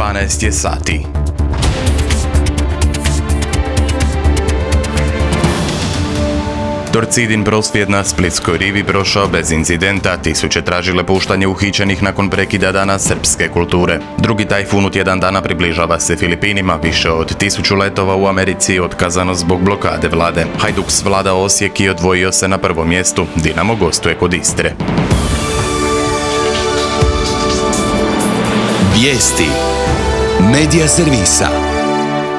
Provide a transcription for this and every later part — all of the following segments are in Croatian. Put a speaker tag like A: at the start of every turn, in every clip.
A: 12 je sati. Torcidin prosvjed na Splitskoj rivi prošao bez incidenta, tisuće tražile puštanje uhićenih nakon prekida dana srpske kulture. Drugi tajfun u tjedan dana približava se Filipinima, više od 1000 letova u Americi otkazano zbog blokade vlade. Hajduks vlada Osijek i odvojio se na prvom mjestu, Dinamo gostuje kod Istre.
B: Vijesti Medija servisa.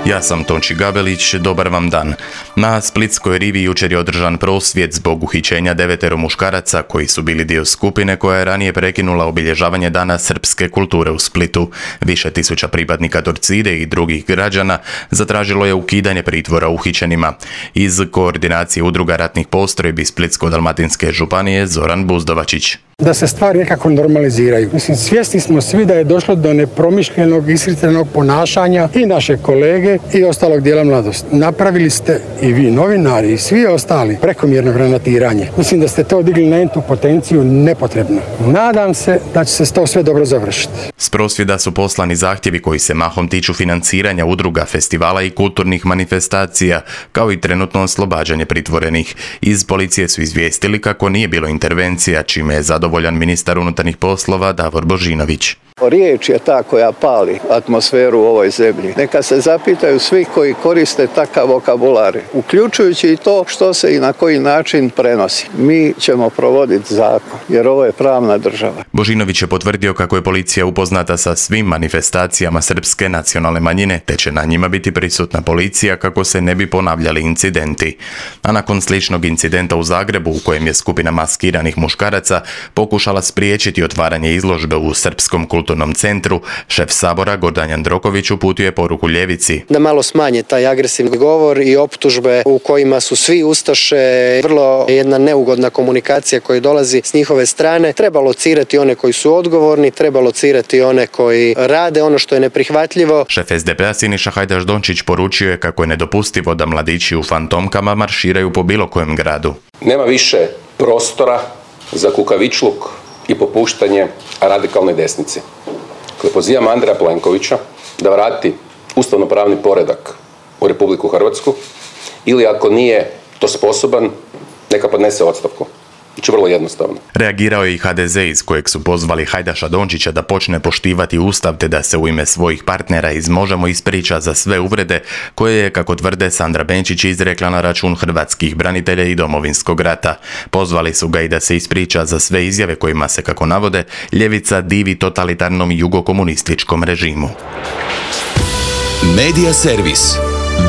A: Ja sam Tonči Gabelić, dobar vam dan. Na Splitskoj rivi jučer je održan prosvjed zbog uhićenja 9 muškaraca koji su bili dio skupine koja je ranije prekinula obilježavanje dana srpske kulture u Splitu. Više tisuća pripadnika Torcide i drugih građana zatražilo je ukidanje pritvora uhićenima. Iz koordinacije udruga ratnih postrojbi Splitsko-dalmatinske županije Zoran Buzdovačić.
C: Da se stvari nekako normaliziraju. Svjesni smo svi da je došlo do nepromišljenog, iskrivljenog ponašanja i naše kolege i ostalog dijela mladosti. Napravili ste i vi novinari i svi ostali prekomjerno granatiranje. Mislim da ste to digli na entu potenciju nepotrebno. Nadam se da će se to sve dobro završiti.
A: S prosvjeda su poslani zahtjevi koji se mahom tiču financiranja udruga, festivala i kulturnih manifestacija, kao i trenutno oslobađanje pritvorenih. Iz policije su izvijestili kako nije bilo intervencija, čime je zadovoljan ministar unutarnjih poslova Davor Božinović.
D: Riječ je ta koja pali atmosferu u ovoj zemlji. Neka se zapitaju svi koji koriste takav vokabular, uključujući i to što se i na koji način prenosi. Mi ćemo provoditi zakon, jer ovo je pravna država.
A: Božinović je potvrdio kako je policija upoznata sa svim manifestacijama srpske nacionalne manjine, te će na njima biti prisutna policija kako se ne bi ponavljali incidenti. A nakon sličnog incidenta u Zagrebu, u kojem je skupina maskiranih muškaraca pokušala spriječiti otvaranje izložbe u Srpskom kulturnom centru, šef Sabora Gordan Jandroković uputio je poruku ljevici.
E: Da malo smanje taj agresivni govor i optužbe u kojima su svi ustaše, vrlo jedna neugodna komunikacija koja dolazi s njihove strane. Treba locirati one koji su odgovorni, treba locirati one koji rade ono što je neprihvatljivo.
A: Šef SDP-a Siniša Hajdaš Dončić poručio je kako je nedopustivo da mladići u fantomkama marširaju po bilo kojem gradu.
F: Nema više prostora za kukavičluk i popuštanje radikalnoj desnici. Pozivam Andreja Plenkovića da vrati ustavno-pravni poredak u Republiku Hrvatsku ili ako nije to sposoban, neka podnese ostavku. Znači vrlo jednostavno.
A: Reagirao je i HDZ iz kojeg su pozvali Hajdaša Dončića da počne poštivati ustav te da se u ime svojih partnera iz Možemo ispriča za sve uvrede koje je, kako tvrde, Sandra Benčić izrekla na račun hrvatskih branitelja i Domovinskog rata. Pozvali su ga i da se ispriča za sve izjave kojima se, kako navode, ljevica divi totalitarnom jugokomunističkom režimu.
B: Medija servis.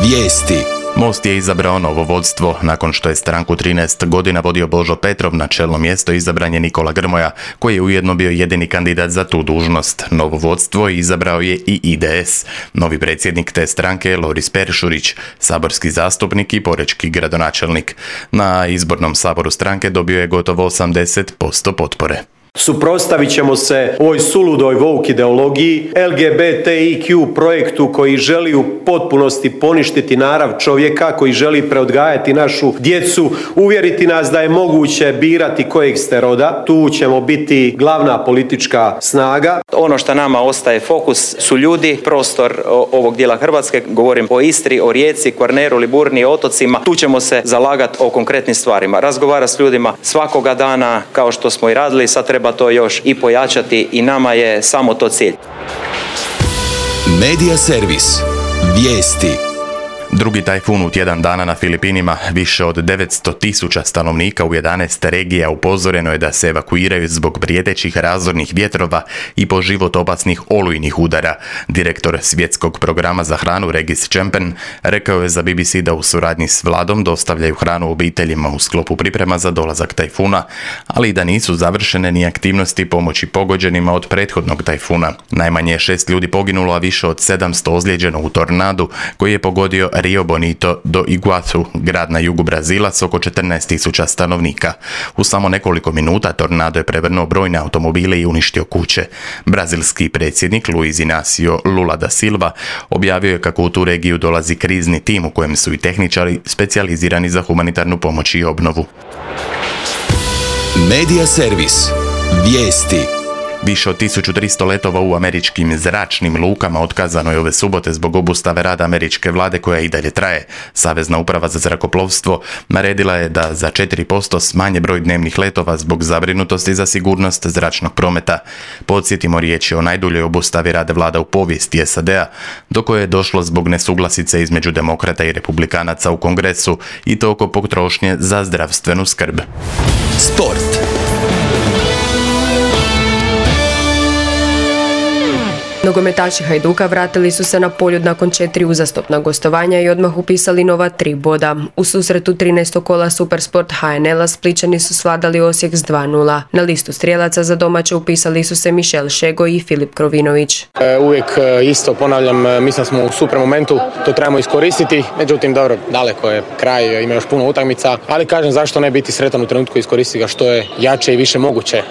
B: Vijesti.
A: Most je izabrao novo vodstvo. Nakon što je stranku 13 godina vodio Božo Petrov, na čelno mjesto izabran je Nikola Grmoja, koji je ujedno bio jedini kandidat za tu dužnost. Novo vodstvo izabrao je i IDS. Novi predsjednik te stranke je Loris Peršurić, saborski zastupnik i porečki gradonačelnik. Na izbornom saboru stranke dobio je gotovo 80% potpore.
G: Suprotstavit ćemo se ovoj suludoj woke ideologiji, LGBTIQ projektu koji želi u potpunosti poništiti narav čovjeka, koji želi preodgajati našu djecu, uvjeriti nas da je moguće birati kojeg ste roda. Tu ćemo biti glavna politička snaga.
H: Ono što nama ostaje fokus su ljudi, prostor ovog dijela Hrvatske, govorim o Istri, o Rijeci, Kvarneru, Liburni, otocima. Tu ćemo se zalagati o konkretnim stvarima, razgovarati s ljudima svakoga dana kao što smo i radili, sad treba to još i pojačati i nama je samo to cilj.
B: Medija servis. Vijesti.
A: Drugi tajfun u tjedan dana na Filipinima. Više od 900.000 stanovnika u 11 regija upozoreno je da se evakuiraju zbog prijetećih razornih vjetrova i po život opasnih olujnih udara. Direktor svjetskog programa za hranu Regis Čempen rekao je za BBC da u suradnji s vladom dostavljaju hranu obiteljima u sklopu priprema za dolazak tajfuna, ali i da nisu završene ni aktivnosti pomoći pogođenima od prethodnog tajfuna. Najmanje je 6 ljudi poginulo, a više od 700 ozlijeđeno u tornadu koji je pogodio Rio Bonito do Iguazu, grad na jugu Brazila s oko 14.000 stanovnika. U samo nekoliko minuta tornado je prevrnuo brojne automobile i uništio kuće. Brazilski predsjednik Luiz Inácio Lula da Silva objavio je kako u tu regiju dolazi krizni tim u kojem su i tehničari specijalizirani za humanitarnu pomoć i obnovu.
B: Medija servis. Vijesti.
A: Više od 1300 letova u američkim zračnim lukama otkazano je ove subote zbog obustave rada američke vlade koja i dalje traje. Savezna uprava za zrakoplovstvo naredila je da za 4% smanje broj dnevnih letova zbog zabrinutosti za sigurnost zračnog prometa. Podsjetimo, riječ je o najduljoj obustavi rada vlada u povijesti SAD-a, do koje je došlo zbog nesuglasice između demokrata i republikanaca u Kongresu, i to oko potrošnje za zdravstvenu skrb.
B: Sport.
I: Nogometaši Hajduka vratili su se na Poljud nakon 4 uzastopna gostovanja i odmah upisali nova 3 boda. U susretu 13. kola Supersport HNL-a Splićani su svladali Osijek s 2:0. Na listu strijelaca za domaće upisali su se Mišel Šego i Filip Krovinović.
J: Uvijek isto ponavljam, mislim da smo u super momentu, to trebamo iskoristiti, međutim dobro, daleko je kraj, ima još puno utakmica, ali kažem zašto ne biti sretan u trenutku i iskoristiti ga što je jače i više moguće.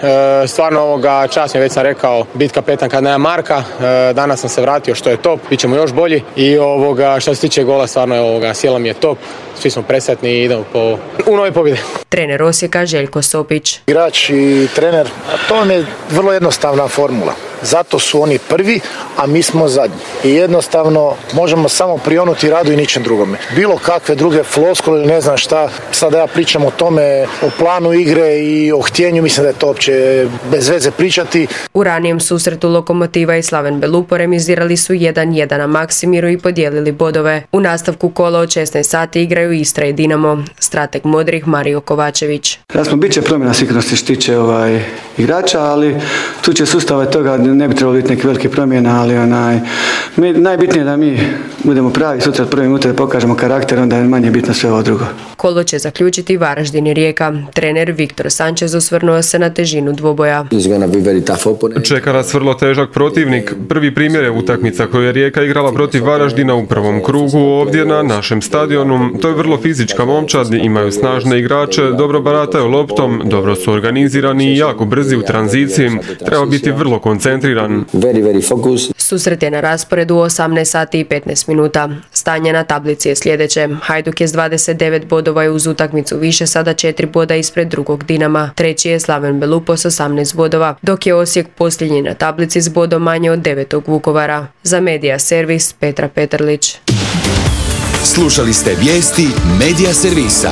J: Stvarno čast mi, već sam rekao, biti kapetan kad nema Marka. Danas sam se vratio što je top, bit ćemo još bolji i što se tiče gola stvarno sjela mi je top, svi smo presretni i idemo u nove pobjede.
I: Trener Osijeka Željko Sopić.
K: Igrač i trener, to vam je vrlo jednostavna formula. Zato su oni prvi, a mi smo zadnji. I jednostavno možemo samo prionuti radu i ničem drugome. Bilo kakve druge floskule ili ne znam šta, sada ja pričam o tome, o planu igre i o htjenju, mislim da je to uopće bez veze pričati.
I: U ranijem susretu Lokomotiva i Slaven Belupo remizirali su 1:1 na Maksimiru i podijelili bodove. U nastavku kola od 16 sati igraju Istra i Dinamo. Strateg modrih Mario Kovačević.
L: Jasno, bit će promjena sigurno se tiče igrača, ali tu će sustav toga ne bi trebalo biti neke velike promjena, ali najbitnije je da mi budemo pravi sutra od prve minute, da pokažemo karakter, onda je manje bitno sve ovo drugo.
I: Kolo će zaključiti Varaždin i Rijeka. Trener Viktor Sanchez osvrnuo se na težinu dvoboja.
M: Čeka nas vrlo težak protivnik. Prvi primjer je utakmica koju je Rijeka igrala protiv Varaždina u prvom krugu ovdje na našem stadionu. To je vrlo fizička momčad, imaju snažne igrače, dobro barataju loptom, dobro su organizirani i jako brzi u tranziciji. Treba biti vrlo koncentriran.
I: Susret je na rasporedu u 18 sati i 15 minuta. Stanje na tablici je sljedeće. Hajduk je s 29 bodova i uz utakmicu više sada 4 boda ispred drugog Dinama. Treći je Slaven Belupo s 18 bodova, dok je Osijek posljednji na tablici s bodom manje od 9. Vukovara. Za Medija Servis Petra Petrlić.
B: Slušali ste vijesti Medija Servisa.